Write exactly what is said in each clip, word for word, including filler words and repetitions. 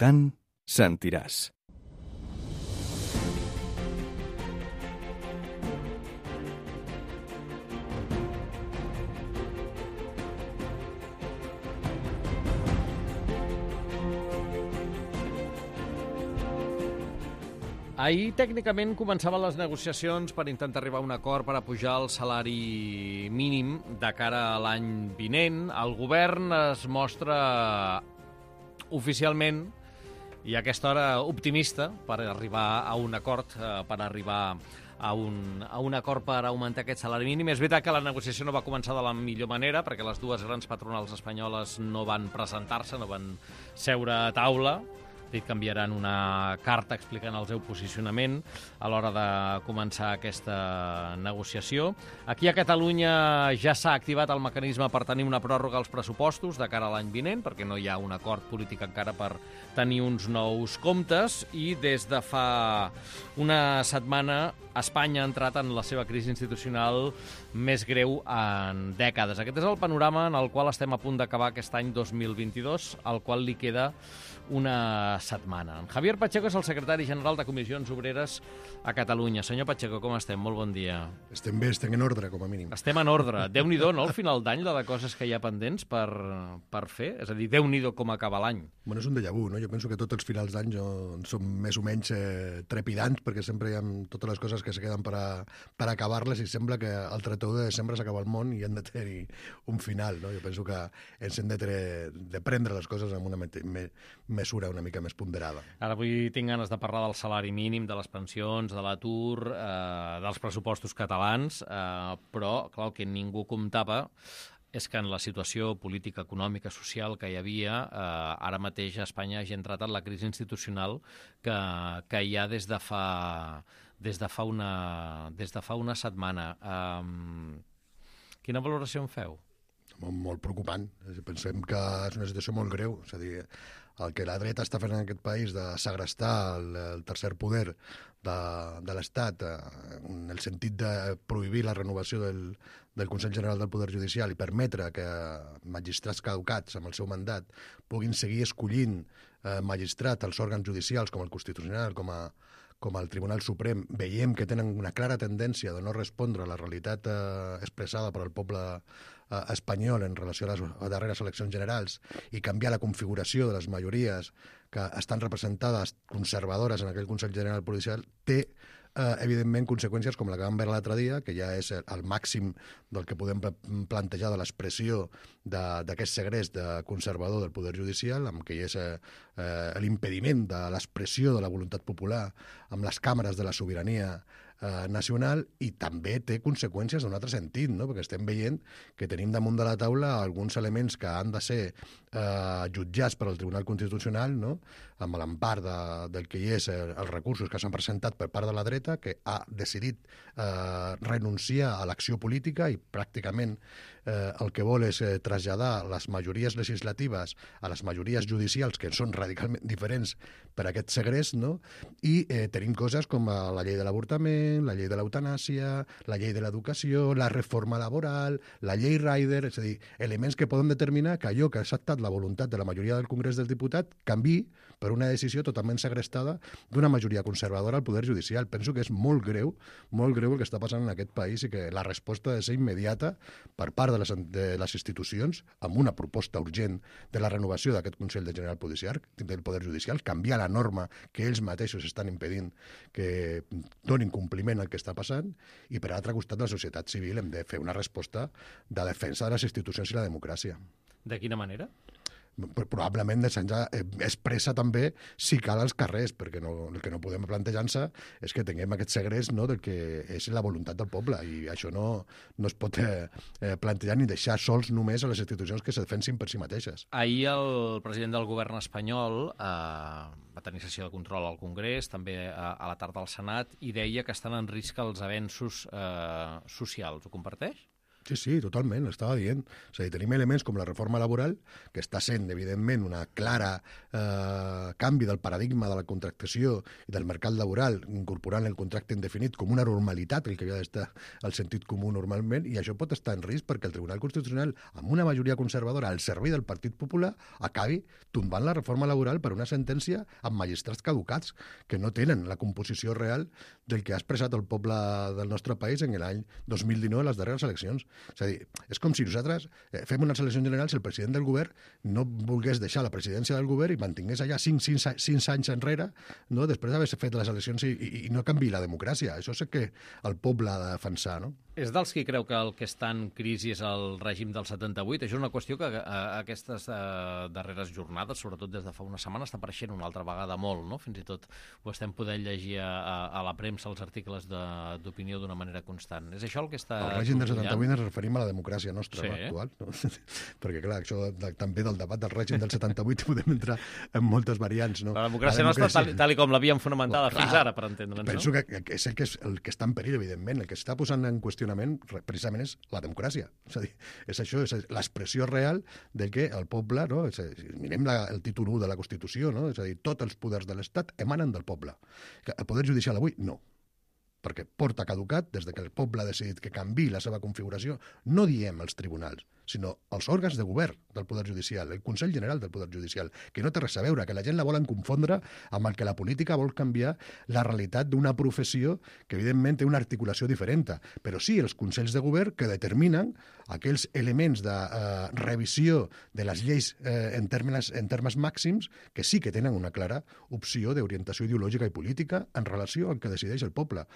tant, sentiràs. Ahir, tècnicament, començaven les negociacions per intentar arribar a un acord per apujar el salari mínim de cara a l'any vinent. El govern es mostra oficialment, i a aquesta hora optimista, per arribar a un acord, per arribar a un, a un acord per augmentar aquest salari mínim. És veritat que la negociació no va començar de la millor manera, perquè les dues grans patronals espanyoles no van presentar-se, no van seure a taula. Dit que enviaran una carta explicant el seu posicionament a l'hora de començar aquesta negociació. Aquí a Catalunya ja s'ha activat el mecanisme per tenir una pròrroga als pressupostos de cara a l'any vinent, perquè no hi ha un acord polític encara per tenir uns nous comptes, i des de fa una setmana Espanya ha entrat en la seva crisi institucional més greu en dècades. Aquest és el panorama en el qual estem a punt d'acabar aquest any dos mil vint-i-dos, al qual li queda una setmana. En Javier Pacheco és el secretari general de Comissions Obreres a Catalunya. Senyor Pacheco, com estem? Molt bon dia. Estem bé, estem en ordre, com a mínim. Estem en ordre. Déu-n'hi-do, no?, al final d'any, la de coses que hi ha pendents per, per fer. És a dir, Déu-n'hi-do com acaba l'any. Bueno, és un déjà vu, no? Jo penso que tots els finals d'any són més o menys eh, trepidants, perquè sempre hi ha totes les coses que se queden per, a, per acabar-les, i sembla que al trenta u de desembre s'acaba el món i han de tenir un final, no? Jo penso que ens hem de, tre, de prendre les coses amb una me, me, mesura una mica més ponderada. Ara avui tinc ganes de parlar del salari mínim, de les pensions, de l'atur, eh, dels pressupostos catalans, eh, però, clar, el que ningú comptava és que en la situació política, econòmica, social que hi havia, eh, ara mateix a Espanya hagi entrat en la crisi institucional que, que hi ha des de fa, des de fa, una, des de fa una setmana. Eh, quina valoració en feu? Molt, molt preocupant. Pensem que és una situació molt greu. És a dir, el que la dreta està fent en aquest país de segrestar el, el tercer poder de, de l'Estat, eh, en el sentit de prohibir la renovació del, del Consell General del Poder Judicial i permetre que magistrats caducats amb el seu mandat puguin seguir escollint eh, magistrats als òrgans judicials com el Constitucional, com a com el Tribunal Suprem, veiem que tenen una clara tendència de no respondre a la realitat eh, expressada per al poble eh, espanyol en relació a les darreres eleccions generals, i canviar la configuració de les majories que estan representades conservadores en aquell Consell General Policial, té eh, evidentment conseqüències com la que vam veure l'altre dia, que ja és el màxim del que podem plantejar de l'expressió d'aquest segrest de conservador del Poder Judicial, amb que hi és eh, eh, l'impediment de l'expressió de la voluntat popular amb les càmeres de la sobirania eh, nacional, i també té conseqüències d'un altre sentit, no? Perquè estem veient que tenim damunt de la taula alguns elements que han de ser eh, jutjats per al Tribunal Constitucional, no? Amb l'empar de, del que hi és eh, els recursos que s'han presentat per part de la dreta, que ha decidit eh, renunciar a l'acció política i pràcticament eh, el que vol és eh, traslladar les majories legislatives a les majories judicials, que són radicalment diferents per aquest segrest, no? I eh, tenim coses com la llei de l'avortament, la llei de l'eutanàsia, la llei de l'educació, la reforma laboral, la llei Rider, és a dir, elements que poden determinar que allò que ha estat la voluntat de la majoria del Congrés dels Diputats canviï per una decisió totalment segrestada d'una majoria conservadora al Poder Judicial. Penso que és molt greu, molt greu el que està passant en aquest país, i que la resposta ha de ser immediata per part de les, de les institucions, amb una proposta urgent de la renovació d'aquest Consell de General Judicial, del Poder Judicial, canviar la norma que ells mateixos estan impedint que donin compliment al que està passant, i per altre costat la societat civil hem de fer una resposta de defensa de les institucions i la democràcia. De quina manera? Probablement deixant-ja expressa també si cal als carrers, perquè no, el que no podem plantejar-se és que tinguem aquest segrest, no, del que és la voluntat del poble, i això no, no es pot eh, plantejar ni deixar sols només a les institucions que se defensin per si mateixes. Ahir el president del govern espanyol eh, va tenir sessió de control al Congrés, també a, a la tarda al Senat, i deia que estan en risc els avenços eh, socials. Ho comparteix? Sí, sí, totalment, estava dient. És a dir, tenim elements com la reforma laboral, que està sent, evidentment, una clara eh, canvi del paradigma de la contractació i del mercat laboral, incorporant el contracte indefinit com una normalitat, el que havia d'estar al sentit comú normalment, i això pot estar en risc perquè el Tribunal Constitucional, amb una majoria conservadora al servei del Partit Popular, acabi tombant la reforma laboral per una sentència amb magistrats caducats, que no tenen la composició real del que ha expressat el poble del nostre país en l'any dos mil dinou a les darreres eleccions. És a dir, és com si nosaltres eh, fem unes eleccions generals i el president del govern no volgués deixar la presidència del govern i mantingués allà cinc, cinc, cinc anys enrere, no? Després d'haver fet les eleccions i, i, i no canvi la democràcia. Això és el que el poble ha de defensar, no? És dels qui creu que el que està en crisi és el règim del setanta-vuit. Això és una qüestió que a, a aquestes a, darreres jornades, sobretot des de fa una setmana, està apareixent una altra vegada molt, no? Fins i tot ho estem podent llegir a, a, a la premsa, els articles d'opinió d'una manera constant. És això el que està... El règim del setanta-vuit ens referim a la democràcia nostra, sí, no, actual. No? Perquè, clar, això de, també del debat del règim del setanta-vuit podem entrar en moltes variants, no? La democràcia, la democràcia... nostra, tal, tal com l'havíem fonamentada bueno, fins ara, per entendre'ns, no? Penso que, que és el que, és el que està en perill, evidentment. El que està posant en qüestionament precisament és la democràcia. És a dir, és això, és l'expressió real del que el poble, no? És a dir, mirem la, el títol u de la Constitució, no? És a dir, tots els poders de l'Estat emanen del poble. El poder judicial avui, no. Perquè porta caducat des de que el poble ha decidit que canvi la seva configuració. No diem els tribunals, sinó els òrgans de govern del Poder Judicial, el Consell General del Poder Judicial, que no té res a veure, que la gent la volen confondre amb el que la política vol canviar la realitat d'una professió que, evidentment, té una articulació diferent. Però sí, els Consells de Govern que determinen aquells elements de eh, revisió de les lleis eh, en, termes, en termes màxims que sí que tenen una clara opció d'orientació ideològica i política en relació al que decideix el poble.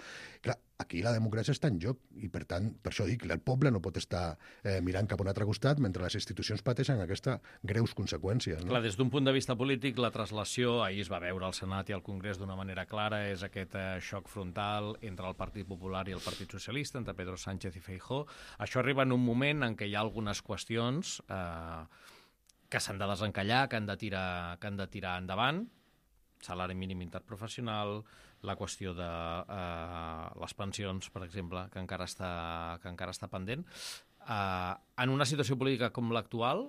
Clar, aquí la democràcia està en joc i, per tant, per això dic, el poble no pot estar eh, mirant cap a un altre costat mentre les institucions pateixen aquestes greus conseqüències. No? Clar, des d'un punt de vista polític, la traslació, ahir es va veure al Senat i al Congrés d'una manera clara, és aquest eh, xoc frontal entre el Partit Popular i el Partit Socialista, entre Pedro Sánchez i Feijóo. Això arriba en un moment en què hi ha algunes qüestions eh, que s'han de desencallar, que han de tirar, que han de tirar endavant, salari mínim interprofessional, la qüestió de eh, les pensions, per exemple, que encara està, que encara està pendent. Eh, en una situació política com l'actual,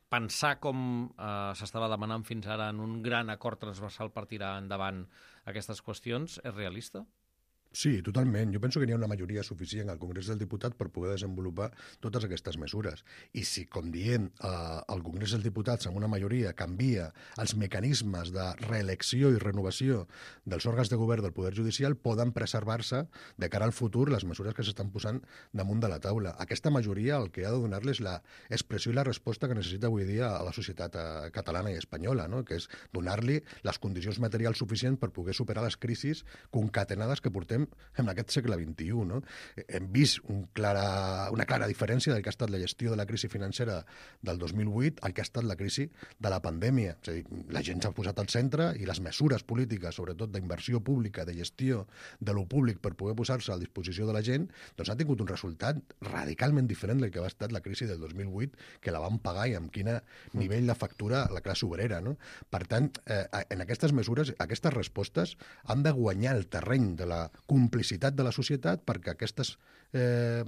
pensar com eh, s'estava demanant fins ara en un gran acord transversal per tirar endavant aquestes qüestions és realista? Sí, totalment. Jo penso que n'hi ha una majoria suficient al Congrés dels Diputats per poder desenvolupar totes aquestes mesures. I si, com dient, eh, el Congrés dels Diputats amb una majoria canvia els mecanismes de reelecció i renovació dels òrgans de govern del Poder Judicial, poden preservar-se de cara al futur les mesures que s'estan posant damunt de la taula. Aquesta majoria el que ha de donar-les la expressió i la resposta que necessita avui dia a la societat eh, catalana i espanyola, no? Que és donar-li les condicions materials suficients per poder superar les crisis concatenades que portem en aquest segle vint-i-u. No? Hem vist un clara, una clara diferència del que ha estat la gestió de la crisi financera del dos mil vuit al que ha estat la crisi de la pandèmia. És a dir, la gent s'ha posat al centre i les mesures polítiques, sobretot d'inversió pública, de gestió de lo públic per poder posar-se a disposició de la gent, doncs ha tingut un resultat radicalment diferent del que va estar la crisi del dos mil vuit, que la van pagar i amb quin nivell de factura la classe obrera. No? Per tant, eh, en aquestes mesures, aquestes respostes han de guanyar el terreny de la complicitat de la societat perquè aquestes eh,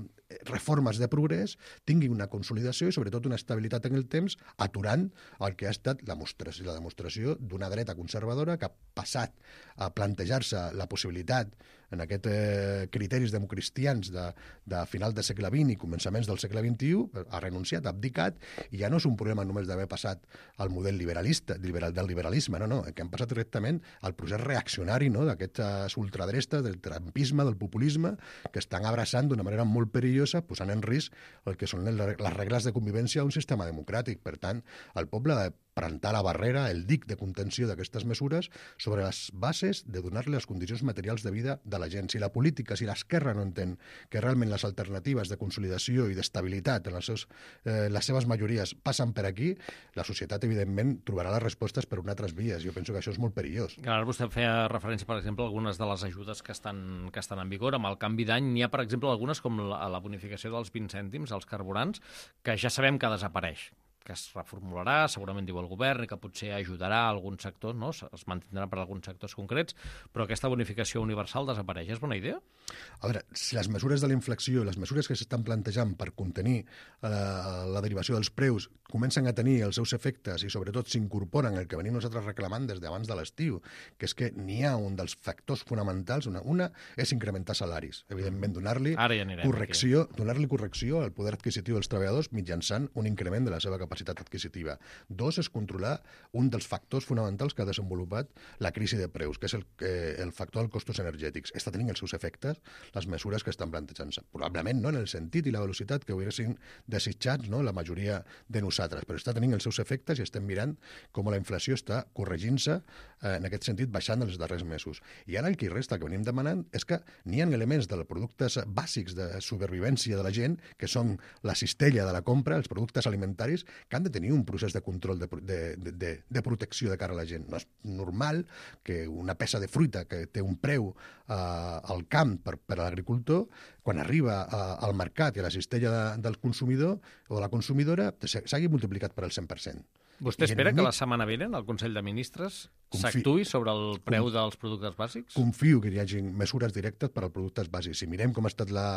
reformes de progrés tinguin una consolidació i sobretot una estabilitat en el temps, aturant el que ha estat la demostració, la demostració d'una dreta conservadora que ha passat a plantejar-se la possibilitat en aquests eh, criteris democristians de, de final del segle vint i començaments del segle vint-i-u, ha renunciat, ha abdicat, i ja no és un problema només d'haver passat al model liberalista, liberal, del liberalisme, no, no, que han passat directament al procés reaccionari, no, d'aquestes ultradrestes, del trumpisme, del populisme, que estan abraçant d'una manera molt perillosa, posant en risc el que són les regles de convivència d'un sistema democràtic. Per tant, el poble ha de plantar la barrera, el dic de contenció d'aquestes mesures sobre les bases de donar-li les condicions materials de vida de la gent. Si la política, si l'esquerra no entén que realment les alternatives de consolidació i d'estabilitat en les, seus, eh, les seves majories passen per aquí, la societat, evidentment, trobarà les respostes per unes altres vies. Jo penso que això és molt perillós. Ara vostè feia referència, per exemple, a algunes de les ajudes que estan, que estan en vigor. Amb el canvi d'any n'hi ha, per exemple, algunes com la, la bonificació dels vint cèntims als carburants, que ja sabem que desapareix, que es reformularà, segurament diu el govern, i que potser ajudarà a alguns sectors, no? Es mantindrà per alguns sectors concrets, però aquesta bonificació universal desapareix. És bona idea? A veure, si les mesures de la inflació, les mesures que s'estan plantejant per contenir eh, la derivació dels preus comencen a tenir els seus efectes i sobretot s'incorporen el que venim nosaltres reclamant des d'abans de l'estiu, que és que n'hi ha un dels factors fonamentals, una, una és incrementar salaris, evidentment donar-li ja correcció, donar-li correcció al poder adquisitiu dels treballadors mitjançant un increment de la seva capacitat adquisitiva. Dos, és controlar un dels factors fonamentals que ha desenvolupat la crisi de preus, que és el, eh, el factor dels costos energètics. Està tenint els seus efectes les mesures que estan plantejant-se. Probablement no en el sentit i la velocitat que haurien desitjats, no, la majoria de nosaltres, però està tenint els seus efectes i estem mirant com la inflació està corregint-se eh, en aquest sentit, baixant els darrers mesos. I ara el que hi resta, que venim demanant, és que n'hi ha elements dels productes bàsics de supervivència de la gent, que són la cistella de la compra, els productes alimentaris, que han de tenir un procés de control de, de, de, de protecció de cara a la gent. No és normal que una peça de fruita que té un preu eh, al camp per, per a l'agricultor, quan arriba a, al mercat i a la cistella de, del consumidor o de la consumidora, s'hagi multiplicat per al cent per cent. Vostè espera que la setmana vinent el Consell de Ministres s'actuï sobre el preu dels productes bàsics? Confio que hi hagi mesures directes per als productes bàsics. Si mirem com ha estat la...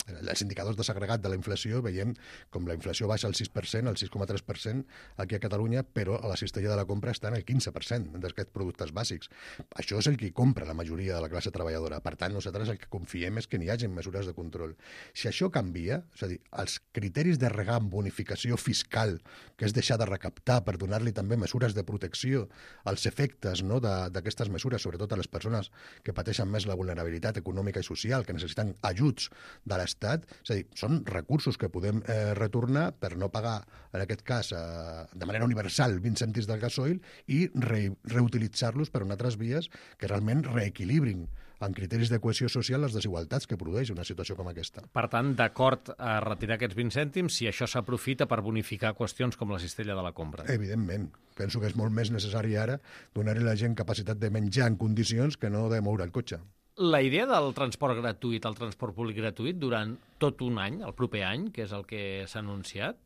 els indicadors desagregat de la inflació, veiem com la inflació baixa al sis per cent, al sis coma tres per cent aquí a Catalunya, però a la cistella de la compra està en el quinze per cent d'aquests productes bàsics. Això és el que compra la majoria de la classe treballadora. Per tant, nosaltres el que confiem és que n'hi hagi mesures de control. Si això canvia, és a dir, els criteris de regar amb bonificació fiscal, que és deixar de recaptar per donar-li també mesures de protecció als efectes, no, d'aquestes mesures, sobretot a les persones que pateixen més la vulnerabilitat econòmica i social, que necessiten ajuts de les Estat, és a dir, són recursos que podem eh, retornar per no pagar, en aquest cas, eh, de manera universal, vint cèntims del gasoil i re, reutilitzar-los per unes altres vies que realment reequilibrin en criteris de cohesió social les desigualtats que produeix una situació com aquesta. Per tant, d'acord a retirar aquests vint cèntims si això s'aprofita per bonificar qüestions com la cistella de la compra. Evidentment. Penso que és molt més necessari ara donar-li a la gent capacitat de menjar en condicions que no de moure el cotxe. La idea del transport gratuït, el transport públic gratuït, durant tot un any, el proper any, que és el que s'ha anunciat,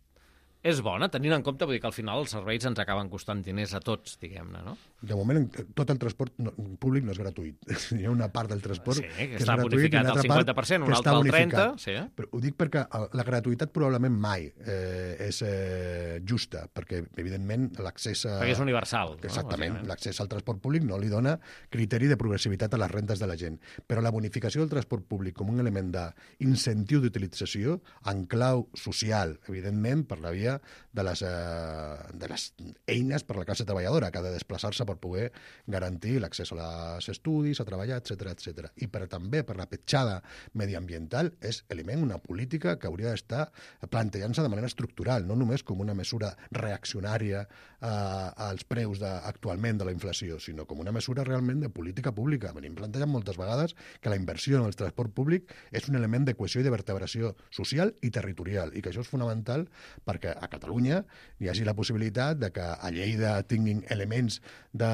és bona, tenint en compte, vull dir que al final els serveis ens acaben costant diners a tots, diguem-ne, no? De moment, tot el transport no, públic no és gratuït. Hi ha una part del transport sí, que, que està és gratuït bonificat al cinquanta per cent, una altra al trenta per cent. Sí, eh? Però ho dic perquè la gratuïtat probablement mai eh, és eh, justa, perquè, evidentment, l'accés a... Perquè és universal. Exactament. No? L'accés al transport públic no li dona criteri de progressivitat a les rentes de la gent. Però la bonificació del transport públic com un element d'incentiu d'utilització en clau social, evidentment, per la via de les, eh, de les eines per a la classe treballadora, que ha de desplaçar-se per poder garantir l'accés als estudis, a treballar, etcètera, etcètera. I per, també per la petjada mediambiental és element una política que hauria d'estar plantejant-se de manera estructural, no només com una mesura reaccionària eh, als preus de, actualment de la inflació, sinó com una mesura realment de política pública. Venim plantejant moltes vegades que la inversió en el transport públic és un element de cohesió i de vertebració social i territorial, i que això és fonamental perquè a Catalunya hi hagi la possibilitat de que a Lleida tinguin elements de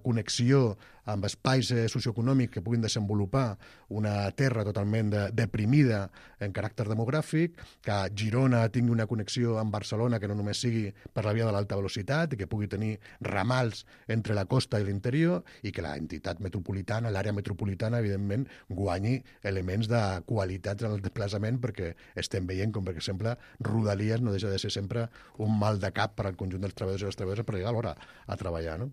connexió amb espais eh, socioeconòmics que puguin desenvolupar una terra totalment de, deprimida en caràcter demogràfic, que Girona tingui una connexió amb Barcelona que no només sigui per la via de l'alta velocitat i que pugui tenir ramals entre la costa i l'interior i que l'entitat metropolitana, l'àrea metropolitana, evidentment, guanyi elements de qualitat en el desplaçament perquè estem veient com, per exemple, Rodalies no deixa de ser sempre un mal de cap per al conjunt dels treballadors i les treballadores per arribar a l'hora a treballar, no?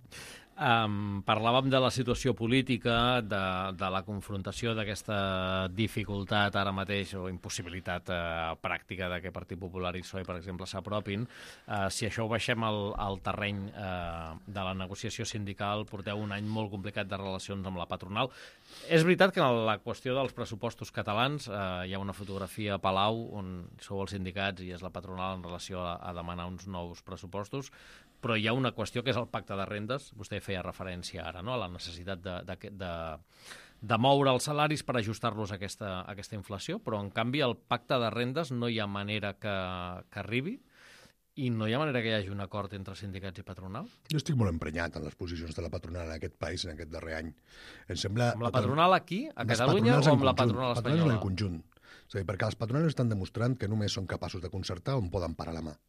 Um, parlàvem de la situació política, de, de la confrontació d'aquesta dificultat ara mateix o impossibilitat uh, pràctica de que Partit Popular i P S O E, per exemple, s'apropin. Uh, si això ho baixem al, al terreny uh, de la negociació sindical, porteu un any molt complicat de relacions amb la patronal. És veritat que en la qüestió dels pressupostos catalans uh, hi ha una fotografia a Palau on sou els sindicats i és la patronal en relació a, a demanar uns nous pressupostos, però hi ha una qüestió que és el pacte de rendes. Vostè feia referència ara, no?, a la necessitat de, de, de, de moure els salaris per ajustar-los a aquesta, a aquesta inflació, però en canvi el pacte de rendes no hi ha manera que, que arribi i no hi ha manera que hi hagi un acord entre sindicats i patronal? Jo estic molt emprenyat en les posicions de la patronal en aquest país en aquest darrer any. Em sembla... Amb la patronal aquí, a Catalunya, o amb la patronal espanyola? Patronals en conjunt. És a dir, perquè les patronals estan demostrant que només són capaços de concertar on poden parar la mà.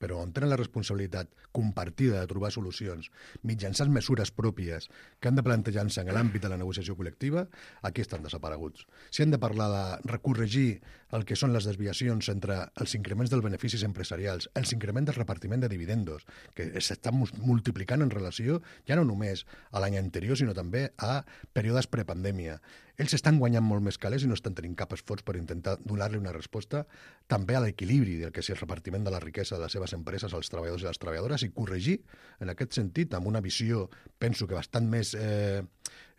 però on tenen la responsabilitat compartida de trobar solucions mitjançant mesures pròpies que han de plantejar-se en l'àmbit de la negociació col·lectiva, aquí estan desapareguts. Si han de parlar de recorregir el que són les desviacions entre els increments dels beneficis empresarials, els increments del repartiment de dividendos, que s'estan multiplicant en relació ja no només a l'any anterior, sinó també a períodes prepandèmia. Ells estan guanyant molt més calés i no estan tenint cap esforç per intentar donar-li una resposta també a l'equilibri del que és el repartiment de la riquesa de les seves empreses als treballadors i les treballadores i corregir, en aquest sentit, amb una visió, penso que bastant més eh,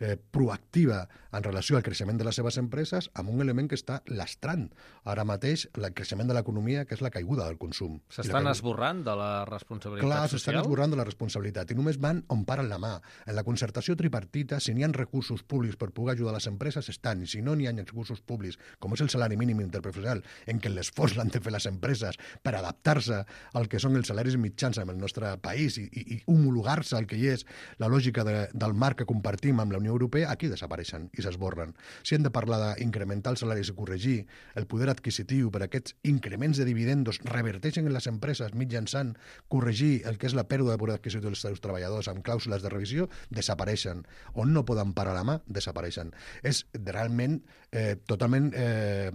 eh, proactiva en relació al creixement de les seves empreses, amb un element que està lastrant ara mateix el creixement de l'economia, que és la caiguda del consum. S'estan esborrant de la responsabilitat Clar, social? Clar, s'estan esborrant de la responsabilitat i només van on paren la mà. En la concertació tripartita, si n'hi ha recursos públics per poder ajudar les empreses, estan, i si no n'hi ha recursos públics, com és el salari mínim interprofessional, en què l'esforç l'han de fer les empreses per adaptar-se al que són els salaris mitjans en el nostre país i, i, i homologar-se al que hi és la lògica de, del marc que compartim amb la Unió Europea, aquí desapareixen i s'esborren. Si hem de parlar d'incrementar els salaris i corregir el poder adquisitiu per aquests increments de dividendos reverteixen en les empreses mitjançant corregir el que és la pèrdua de poder adquisitiu dels seus treballadors amb clàusules de revisió, desapareixen. On no poden parar la mà, desapareixen. És realment eh, totalment eh,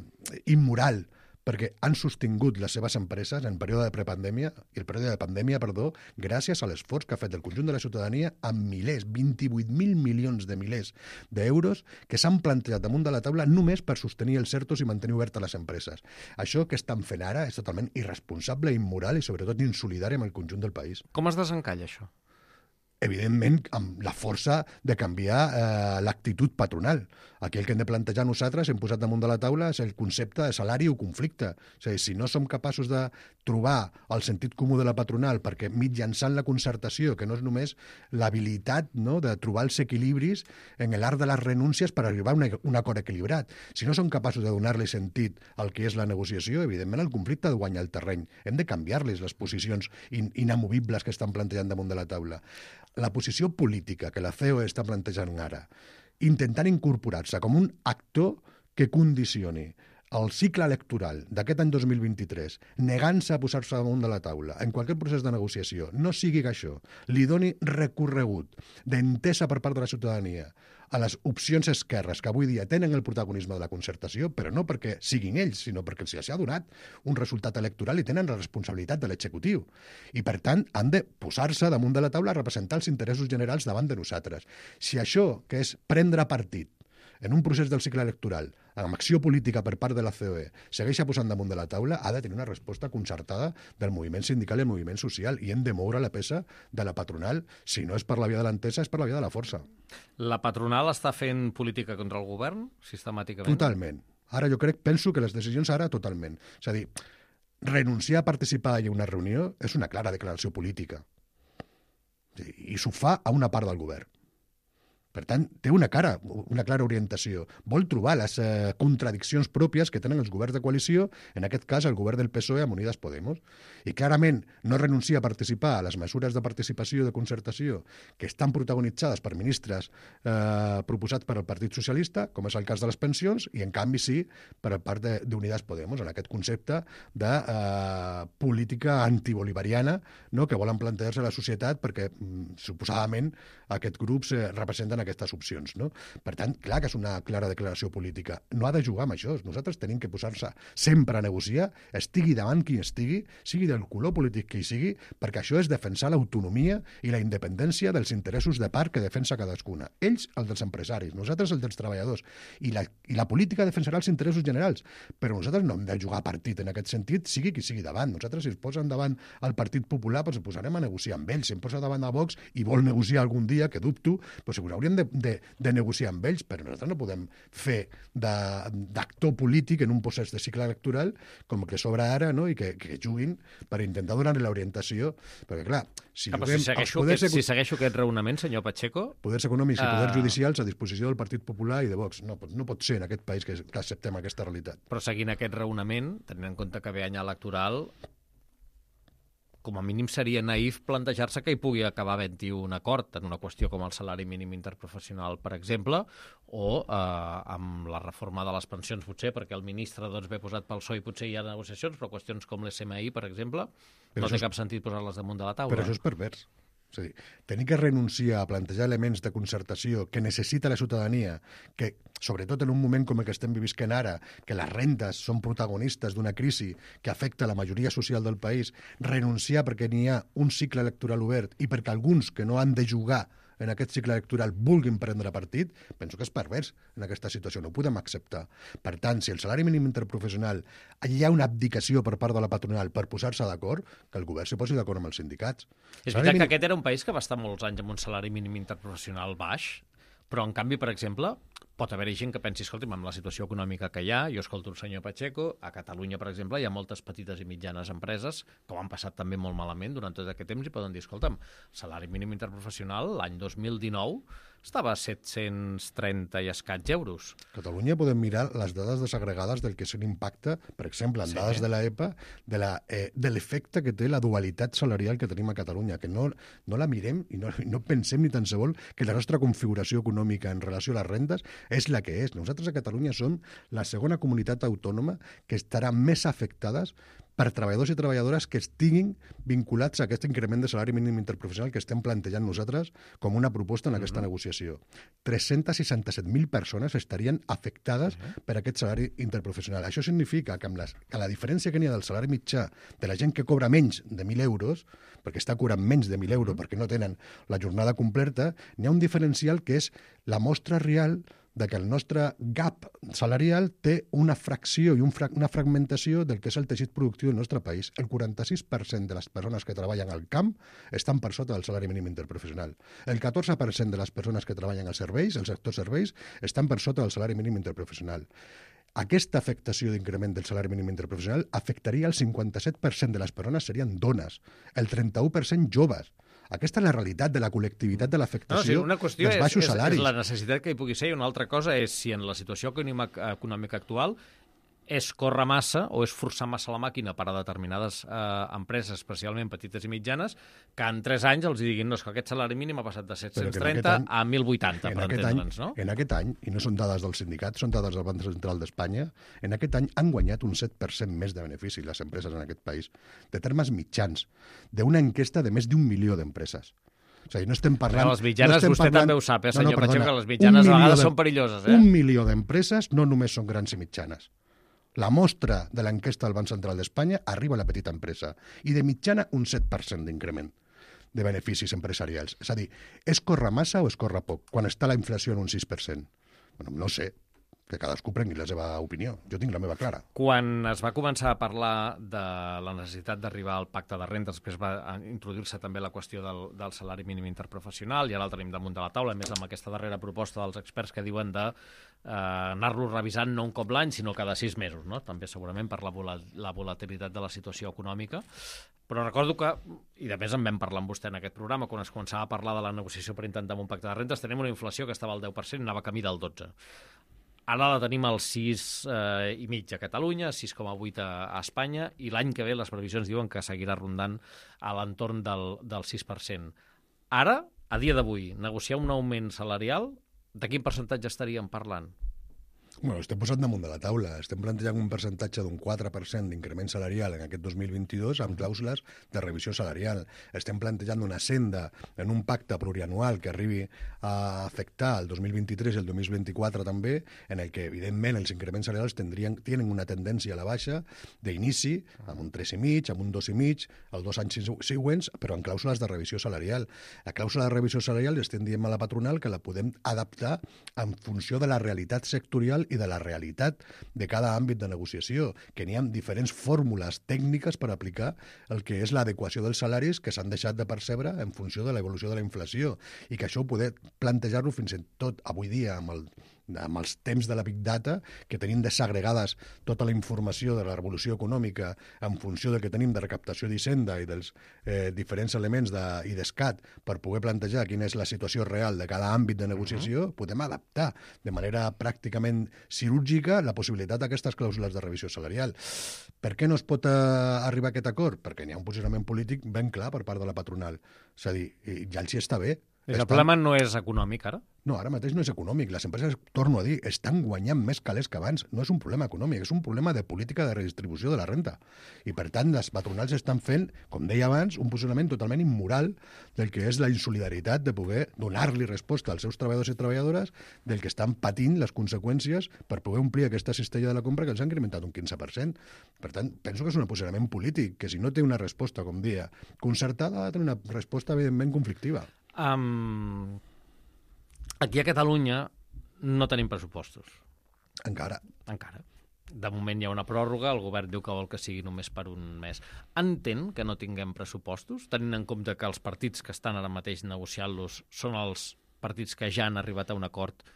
immoral, perquè han sostingut les seves empreses en període de prepandèmia, i el període de pandèmia, perdó, gràcies a l'esforç que ha fet el conjunt de la ciutadania amb milers, vint-i-vuit mil milions de milers d'euros que s'han plantejat damunt de la taula només per sostenir els certos i mantenir obertes les empreses. Això que estan fent ara és totalment irresponsable, immoral i sobretot insolidari amb el conjunt del país. Com es desencalla això? Evidentment, amb la força de canviar eh, l'actitud patronal. Aquí el que hem de plantejar nosaltres, hem posat damunt de la taula, és el concepte de salari o conflicte. És a dir, si no som capaços de trobar el sentit comú de la patronal, perquè mitjançant la concertació, que no és només l'habilitat, no?, de trobar els equilibris en l'art de les renúncies per arribar a una, un acord equilibrat. Si no som capaços de donar-li sentit al que és la negociació, evidentment el conflicte ha de guanyar el terreny. Hem de canviar-les les posicions in, inamovibles que estan plantejant damunt de la taula. La posició política que la C E O està plantejant ara, intentant incorporar-se com un actor que condicioni el cicle electoral d'aquest any dos mil vint-i-tres, negant-se a posar-se damunt de la taula en qualsevol procés de negociació, no sigui que això li doni recorregut d'entesa per part de la ciutadania a les opcions esquerres que avui dia tenen el protagonisme de la concertació, però no perquè siguin ells, sinó perquè els ha donat un resultat electoral i tenen la responsabilitat de l'executiu. I, per tant, han de posar-se damunt de la taula a representar els interessos generals davant de nosaltres. Si això, que és prendre partit en un procés del cicle electoral, amb acció política per part de la C E O, segueix posant damunt de la taula, ha de tenir una resposta concertada del moviment sindical i el moviment social, i hem de moure la peça de la patronal. Si no és per la via de l'entesa, és per la via de la força. La patronal està fent política contra el govern, sistemàticament? Totalment. Ara jo crec, penso que les decisions ara totalment. És a dir, renunciar a participar en una reunió és una clara declaració política. I s'ho fa a una part del govern. Per tant, té una cara, una clara orientació. Vol trobar les eh, contradiccions pròpies que tenen els governs de coalició, en aquest cas el govern del P S O E amb Unides Podemos. I clarament no renuncia a participar a les mesures de participació i de concertació que estan protagonitzades per ministres eh, proposats per al Partit Socialista, com és el cas de les pensions, i en canvi sí per part d'Unides Podemos, en aquest concepte de eh, política antibolivariana, no?, que volen plantejar-se a la societat perquè mm, suposadament aquests grups eh, representen aquestes opcions, no? Per tant, clar que és una clara declaració política. No ha de jugar amb això. Nosaltres tenim que posar-se sempre a negociar, estigui davant qui estigui, sigui del color polític que hi sigui, perquè això és defensar l'autonomia i la independència dels interessos de part que defensa cadascuna. Ells, els dels empresaris, nosaltres, els dels treballadors. I la, i la política defensarà els interessos generals, però nosaltres no hem de jugar a partit en aquest sentit, sigui qui sigui davant. Nosaltres, si es posen davant el Partit Popular, doncs ens posarem a negociar amb ells. Si em posa davant a Vox i vol negociar algun dia, que dubto, doncs segurament hauríem de, de, de negociar amb ells, però nosaltres no podem fer d'actor polític en un procés de cicle electoral com que s'obre ara, no?, i que, que juguin per intentar donar-li l'orientació. Perquè, clar, si, ah, juguem, si, segueixo aquest, poders, si segueixo aquest raonament, senyor Pacheco... Poders econòmics i uh... poders judicials a disposició del Partit Popular i de Vox. No, no pot ser en aquest país que, que acceptem aquesta realitat. Però seguint aquest raonament, tenint en compte que ve any electoral, com a mínim seria naïf plantejar-se que hi pugui acabar havent-hi un acord en una qüestió com el salari mínim interprofessional, per exemple, o eh, amb la reforma de les pensions, potser, perquè el ministre doncs, ve posat pel P S O E i potser hi ha negociacions, però qüestions com l'S M I, per exemple, però no té és... cap sentit posar-les damunt de la taula. Però això és pervers. És a dir, tenir que renunciar a plantejar elements de concertació que necessita la ciutadania, que sobretot en un moment com el que estem vivint ara, que les rendes són protagonistes d'una crisi que afecta la majoria social del país, renunciar perquè n'hi ha un cicle electoral obert i perquè alguns que no han de jugar en aquest cicle electoral vulguin prendre partit, penso que és pervers en aquesta situació, no ho podem acceptar. Per tant, si el salari mínim interprofessional hi ha una abdicació per part de la patronal per posar-se d'acord, que el govern s'hi posi d'acord amb els sindicats. És veritat mínim... que aquest era un país que va estar molts anys amb un salari mínim interprofessional baix, però en canvi, per exemple, pot haver-hi gent que pensi, escolti'm, amb la situació econòmica que hi ha, jo escolto el senyor Pacheco, a Catalunya, per exemple, hi ha moltes petites i mitjanes empreses que ho han passat també molt malament durant tot aquest temps i poden dir, escolta'm, salari mínim interprofessional l'any dos mil dinou estava a set-cents trenta i escaig euros. A Catalunya podem mirar les dades desagregades del que és l'impacte, per exemple, en sí. dades de l'EPA, de la, eh, de l'efecte que té la dualitat salarial que tenim a Catalunya, que no, no la mirem i no, no pensem ni tan sols que la nostra configuració econòmica en relació a les rendes és la que és. Nosaltres a Catalunya som la segona comunitat autònoma que estarà més afectades per treballadors i treballadores que estiguin vinculats a aquest increment de salari mínim interprofessional que estem plantejant nosaltres com una proposta en aquesta mm-hmm. negociació. tres-cents seixanta-set mil persones estarien afectades mm-hmm. per aquest salari interprofessional. Això significa que, amb les, que la diferència que n'hi ha del salari mitjà de la gent que cobra menys de mil euros, perquè està cobrant menys de mil euros mm-hmm. perquè no tenen la jornada completa, n'hi ha un diferencial que és la mostra real de que el nostre gap salarial té una fracció i un fra una fragmentació del que és el teixit productiu del nostre país. El quaranta-sis per cent de les persones que treballen al camp estan per sota del salari mínim interprofessional. El catorze per cent de les persones que treballen als serveis, al sector serveis, estan per sota del salari mínim interprofessional. Aquesta afectació d'increment del salari mínim interprofessional afectaria el cinquanta-set per cent de les persones serien dones, el trenta-u per cent joves. Aquesta és la realitat de la col·lectivitat de l'afectació no, sí, dels baixos és, salaris. És la necessitat que hi pugui ser, i una altra cosa és si en la situació econòmica actual és córrer massa o és forçar massa la màquina per a determinades eh, empreses, especialment petites i mitjanes, que en tres anys els diguin no, és que aquest salari mínim ha passat de set-cents trenta any, a mil vuitanta, per entendre'ns, no? En aquest any, i no són dades del sindicat, són dades del Banc Central d'Espanya, en aquest any han guanyat un set per cent més de benefici les empreses en aquest país, de termes mitjans, d'una enquesta de més d'un milió d'empreses. O sigui, no estem parlant... Però les mitjanes, no vostè parlant... també ho sap, eh, senyor no, no, Pacheco, que les mitjanes a vegades de... són perilloses, eh? Un milió d'empreses no només són grans i mitjanes. La mostra de l'enquesta del Banc Central d'Espanya arriba a la petita empresa i de mitjana un set per cent d'increment de beneficis empresarials. És a dir, és córrer massa o és córrer poc quan està la inflació en un sis per cent? Bueno, no sé, que cadascú prengui la seva opinió. Jo tinc la meva clara. Quan es va començar a parlar de la necessitat d'arribar al pacte de renda, després va introduir-se també la qüestió del, del salari mínim interprofessional, i ara el tenim damunt de la taula, a més amb aquesta darrera proposta dels experts que diuen de eh, anar-lo revisant no un cop l'any, sinó cada sis mesos, no? També segurament per la, vol la volatilitat de la situació econòmica. Però recordo que, i de més en vam parlar amb vostè en aquest programa, quan es començava a parlar de la negociació per intentar un pacte de rentes, tenim una inflació que estava al deu per cent i anava camí del dotze per cent. Ara la tenim al sis eh, i mig a Catalunya, sis coma vuit a, a Espanya, i l'any que ve les previsions diuen que seguirà rondant a l'entorn del, del sis per cent. Ara, a dia d'avui, negociar un augment salarial, de quin percentatge estaríem parlant? Bueno, estem posant damunt de la taula. Estem plantejant un percentatge d'un quatre per cent d'increment salarial en aquest dos mil vint-i-dos amb clàusules de revisió salarial. Estem plantejant una senda en un pacte plurianual que arribi a afectar el dos mil vint-i-tres i el dos mil vint-i-quatre també, en el que, evidentment, els increments salarials tindrien, tenen una tendència a la baixa d'inici, amb un tres i mig, amb un dos i mig, els dos anys següents, però en clàusules de revisió salarial. La clàusula de revisió salarial estem dient a la patronal que la podem adaptar en funció de la realitat sectorial i de la realitat de cada àmbit de negociació, que n'hi ha diferents fórmules tècniques per aplicar el que és l'adequació dels salaris que s'han deixat de percebre en funció de l'evolució de la inflació, i que això ho poder plantejar-lo fins i tot avui dia amb el amb els temps de la Big Data, que tenim desagregades tota la informació de la revolució econòmica en funció del que tenim de recaptació d'Hisenda i dels eh, diferents elements de, i d'escat per poder plantejar quina és la situació real de cada àmbit de negociació, uh-huh. podem adaptar de manera pràcticament quirúrgica la possibilitat d'aquestes clàusules de revisió salarial. Per què no es pot eh, arribar a aquest acord? Perquè n'hi ha un posicionament polític ben clar per part de la patronal. És a dir, ja els hi està bé. El estan... problema no és econòmic, ara? No, ara mateix no és econòmic. Les empreses, torno a dir, estan guanyant més calés que abans. No és un problema econòmic, és un problema de política de redistribució de la renta. I, per tant, les patronals estan fent, com deia abans, un posicionament totalment immoral del que és la insolidaritat de poder donar-li resposta als seus treballadors i treballadores del que estan patint les conseqüències per poder omplir aquesta cistella de la compra que els han incrementat un quinze per cent. Per tant, penso que és un posicionament polític que, si no té una resposta, com deia, concertada, ha de tenir una resposta evidentment conflictiva. Um, aquí a Catalunya no tenim pressupostos. Encara. Encara. De moment hi ha una pròrroga, el govern diu que vol que sigui només per un mes. Entén que no tinguem pressupostos, tenint en compte que els partits que estan ara mateix negociant-los són els partits que ja han arribat a un acord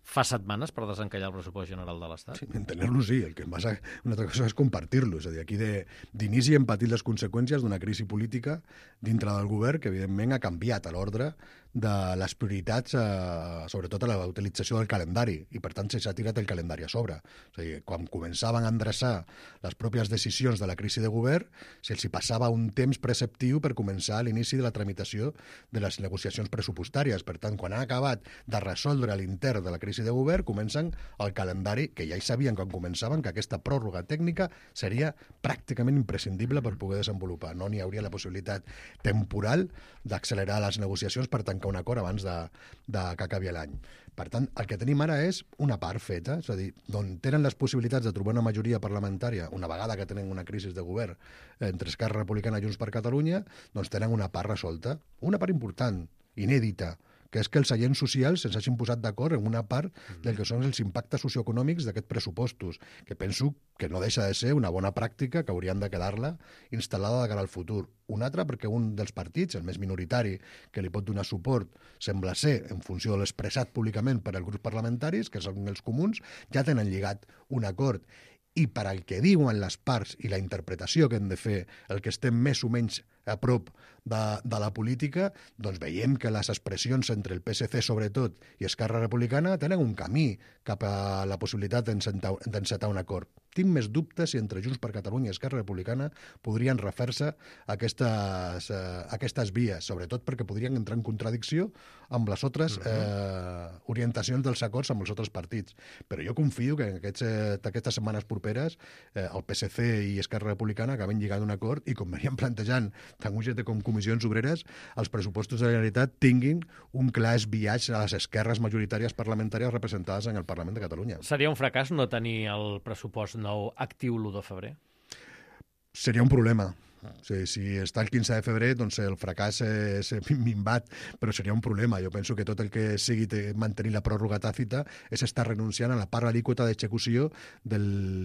fa setmanes per desencallar el pressupost general de l'Estat? Sí, entener-lo sí, el que passa una altra cosa és compartir-lo, és a dir, aquí d'inici hem patit les conseqüències d'una crisi política dintre del govern que evidentment ha canviat a l'ordre de les prioritats, eh, sobretot a la utilització del calendari, i per tant s'ha tirat el calendari a sobre. És a dir, quan començaven a endreçar les pròpies decisions de la crisi de govern, se'ls hi passava un temps preceptiu per començar l'inici de la tramitació de les negociacions pressupostàries. Per tant, quan han acabat de resoldre l'intern de la crisi de govern, comencen el calendari, que ja hi sabien quan començaven que aquesta pròrroga tècnica seria pràcticament imprescindible per poder desenvolupar. No n'hi hauria la possibilitat temporal d'accelerar les negociacions per tancar un acord abans de, de que acabi l'any. Per tant, el que tenim ara és una part feta, és a dir, d'on tenen les possibilitats de trobar una majoria parlamentària, una vegada que tenen una crisi de govern entre Esquerra Republicana i Junts per Catalunya, doncs tenen una part resolta, una part important, inèdita, que és que els agents socials se'ns hagin posat d'acord en una part del que són els impactes socioeconòmics d'aquests pressupostos, que penso que no deixa de ser una bona pràctica que haurien de quedar-la instal·lada de cara al futur. Una altra perquè un dels partits, el més minoritari, que li pot donar suport, sembla ser, en funció de l'expressat públicament per als grups parlamentaris, que són els comuns, ja tenen lligat un acord. I per al que diuen les parts i la interpretació que hem de fer, el que estem més o menys a prop de, de la política, doncs veiem que les expressions entre el P S C, sobretot, i Esquerra Republicana tenen un camí cap a la possibilitat d'encetar un acord. Tinc més dubtes si entre Junts per Catalunya i Esquerra Republicana podrien refer-se aquestes, eh, aquestes vies, sobretot perquè podrien entrar en contradicció amb les altres eh, orientacions dels acords amb els altres partits. Però jo confio que en aquests, eh, aquestes setmanes properes eh, el P S C i Esquerra Republicana acaben lligant un acord i, com veníem plantejant tant U G T com comissions obreres, els pressupostos de la Generalitat tinguin un clar esbiaix a les esquerres majoritàries parlamentàries representades en el Parlament de Catalunya. Seria un fracàs no tenir el pressupost nou actiu l'u de febrer? Seria un problema. O sigui, si està el quinze de febrer, doncs el fracàs és minvat, però seria un problema. Jo penso que tot el que sigui mantenir la pròrroga tàcita és estar renunciant a la part alíquota d'execució de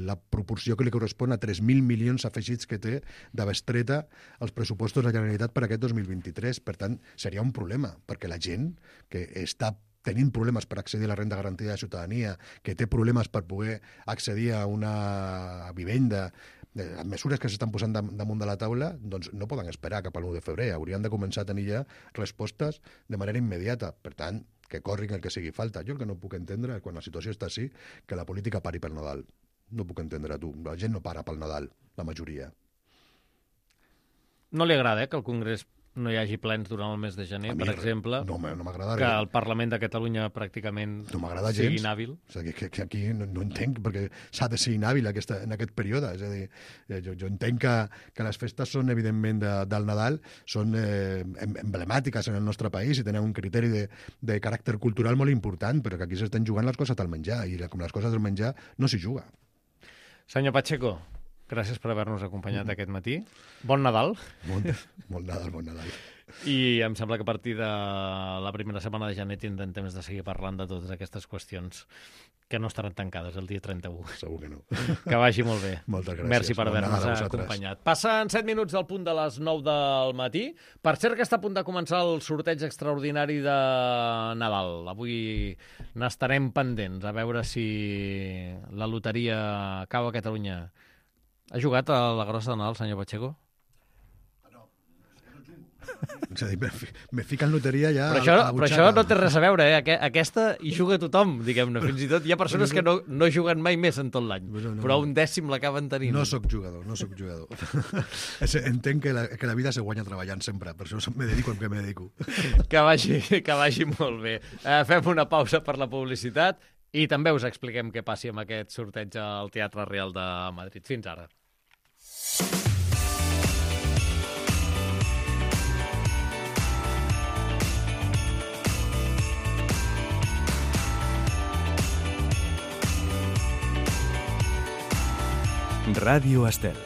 la proporció que li correspon a tres mil milions afegits que té de bestreta els pressupostos de la Generalitat per aquest dos mil vint-i-tres. Per tant, seria un problema, perquè la gent que està tenint problemes per accedir a la renda garantida de ciutadania, que té problemes per poder accedir a una vivenda, les mesures que s'estan posant damunt de la taula, doncs no poden esperar cap a l'u de febrer. Haurien de començar a tenir ja respostes de manera immediata. Per tant, que corrin el que sigui falta. Jo el que no puc entendre, quan la situació està així, que la política pari pel Nadal. No puc entendre, tu. La gent no para pel Nadal, la majoria. No li agrada, eh, que el Congrés no hi hagi plens durant el mes de gener, per exemple, no, no m'agrada que el Parlament de Catalunya pràcticament no m'agrada sigui gens. inhàbil. O sigui, que, que aquí no, no entenc perquè s'ha de ser inhàbil aquesta, en aquest període. És a dir, jo, jo entenc que, que les festes són, evidentment, de, del Nadal, són eh, emblemàtiques en el nostre país i tenen un criteri de, de caràcter cultural molt important, però que aquí s'estan jugant les coses al menjar, i com les coses del menjar no s'hi juga. Senyor Pacheco, gràcies per haver-nos acompanyat aquest matí. Bon Nadal. Bon, bon Nadal, bon Nadal. I em sembla que a partir de la primera setmana de gener tindrem temps de seguir parlant de totes aquestes qüestions que no estaran tancades el dia trenta-u. Segur que no. Que vagi molt bé. Moltes gràcies. Merci per Bon Nadal a haver-nos vosaltres. acompanyat. Passen set minuts del punt de les nou del matí. Per cert que està a punt de començar el sorteig extraordinari de Nadal. Avui n'estarem pendents a veure si la loteria cau a Catalunya. Ha jugat a la grossa de Nadal, senyor Pacheco? És a dir, me, fi- me fica en loteria ja Però això, a la però butxaca. això no té res a veure, eh? Aque- Aquesta hi juga tothom, diguem-ne. Fins i tot hi ha persones que no, no juguen mai més en tot l'any, No, no, però no. un dècim l'acaben tenint. No sóc jugador, no sóc jugador. És- Entenc que la, que la vida se guanya treballant sempre, per això me dedico al que me dedico. Que vagi, que vagi molt bé. Eh, fem una pausa per la publicitat i també us expliquem què passi amb aquest sorteig al Teatre Real de Madrid. Fins ara. Ràdio Estel.